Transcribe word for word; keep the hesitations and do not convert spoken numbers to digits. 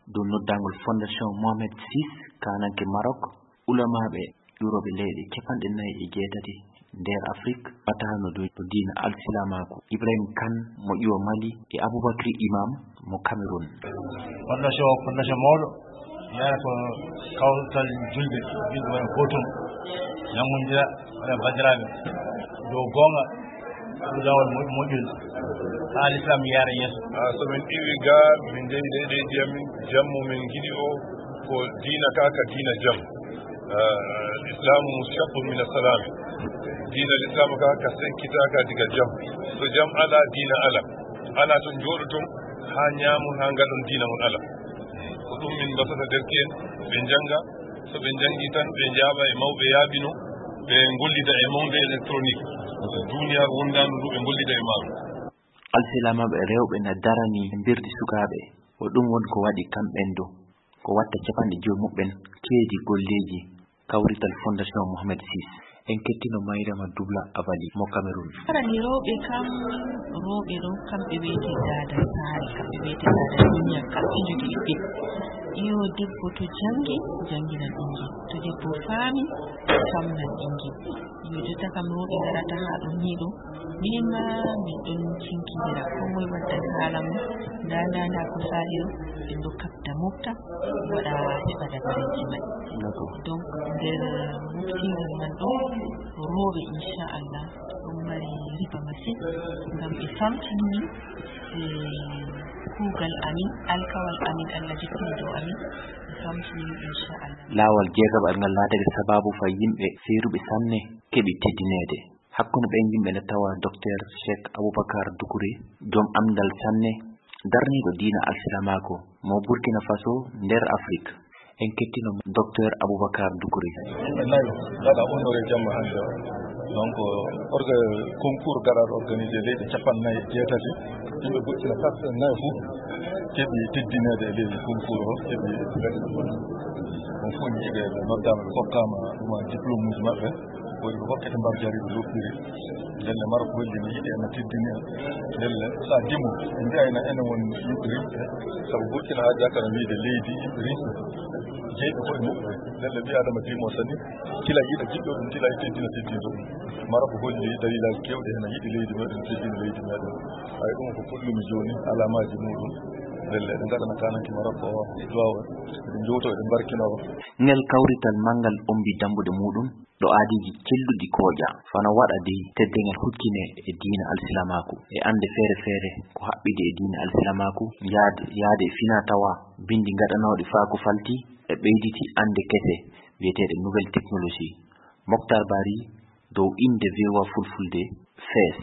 Dow noddaangol Fondation Mohamed six, kaananke Maroc, ulamaaɓe ƴuurooɓe leyɗe capanɗe nayi e jeetati nder Afrik, wataano dow diina alsilamaaku, Ibrahim Kane mo ƴiwo Mali e Aboubacry Imam mo Cameroun. Fondation, fondation mawɗo, yara ko kawtal julɓe, julɓe wona gootum, nanngondira, waɗa banndiraaɓe dow goonga, dow laawol mo-, moƴƴol, haa Lislaam yaara yeeso. Ah, so min iwi ga, min njehi leyɗeeji amin, jammu min ngiɗi o, ko diina ka, ka diina jam. Ah, Islamu mushaqqun min as-salam. Diina Lislaam ka, ka senkitaka diga jam. So jam ala, diina ala. Ala to njooɗoton haa ñaamon, haa ngaɗon diina mon ala. Ko ɗum min mbasata derke'en, ɓe njannga. So ɓe njanngi tan, ɓe njaaɓa e mawɓe yaaɓino, ɓe ngollida e monde électronique. Duniyaaru wondaandu ndu, ɓe ngollida e maaru. Alsilamaaɓe rewɓe na darani mbirdi sukaaɓe. Ko ɗum woni ko waɗi kamɓen du, ko watta capanɗe jowi muɓɓen keedi golleeji kawrital Fondation Mohamed six. En kettino Mayrama Dubla Abali mo Cameroun. Arani rewɓe kam, rewɓe ɗo kamɓe wiyete daada saare, kamɓe wiyete daada duniya, kamɓe njogii ɓiɓɓe. Iyo, debbo to janngi, jannginan ɓinngel. To debbo faami, faamnan ɓinngel. Iyo, jotta kam rewɓe ngarata haa ɗo nii ɗo. Minin ma min ɗon cinkindira, ko moye waddan haala mum. Ndaa, ndaa, ndaa ko saali ɗo, ɓe ɗo kaɓta mofta, waɗa heɓa dabareeji may. D'accord. Donc, nder moftingol man ɗo, rewɓe, inchallah, ɗon mari riba masin, ngam ɓe famtinii, eh, kuugal amin, alkawal amin, Allah jippini dow amin, ɓe famtinii, inchallah. Laawol jeegaɓal ngal laatake sabaabu fay yimɓe seeruɓe sanne keɓi teddineede. Hakkunde ɓen yimɓe ne tawa Docteur Cheikh Aboubacar Doucouré, joom anndal sanne, darniiɗo diina alsilamaaku mo Burkina Faso nder Afrik. En kettino Docteur Aboubacar Doucouré. Yimɓe nayo gaɗa honoré jamma hannde o. Donc, orga-, concours gaɗaaɗo organisé leyɗe capanɗe nayi e jeetati. Yimɓe Burkina Faso nayo fof keɓi teddineede e ley concours o, keɓi on fof yiiɓe ɓe noddaama, ɓe kokkaama ɗuma diplôme uji maɓɓe. Woni ko hokkete mbar jari ɓe loppiri. Ndelle Maroc holli no yiɗi en, no teddini en. Ndelle sa dimo, en mbiyayno enen won yimɓe rimɓe. Sabu Burkina haja kana wiide leydi yimɓe rimɓe. Jeyɓe koye muɓɓe. Ndelle ɓi Adama dimo sani. Kila yiɗa jiɗɗo ɗum, kila e teddina teddinɗo ɗum. Maroc holli dalilaaji keewɗi heen, a yiɗi leydi meɗen, teddina leydi meɗen. Ay, ɗum ko puɗɗumi jooni, alamaaji muɗum. Ndelle eɗen ngaɗana kananke Maroc o duwaw, eɗen njowto, eɗen mbarkino. Ngel kawrital manngal ombi dambuɗe muɗum ɗo aadiiji celluɗi kooƴa, fano waɗa dey teddengel huccine e diina alsilamaaku, e annde feere feere ko haɓɓidi e diina alsilamaaku, yaade, yaade e fina tawa binndi ngaɗanooɗi faa ko falti e ɓeyditi annde kese biyeteeɗe nouvelle technologie. Moctar Bari dow innde V O A Fulfulde, Fes.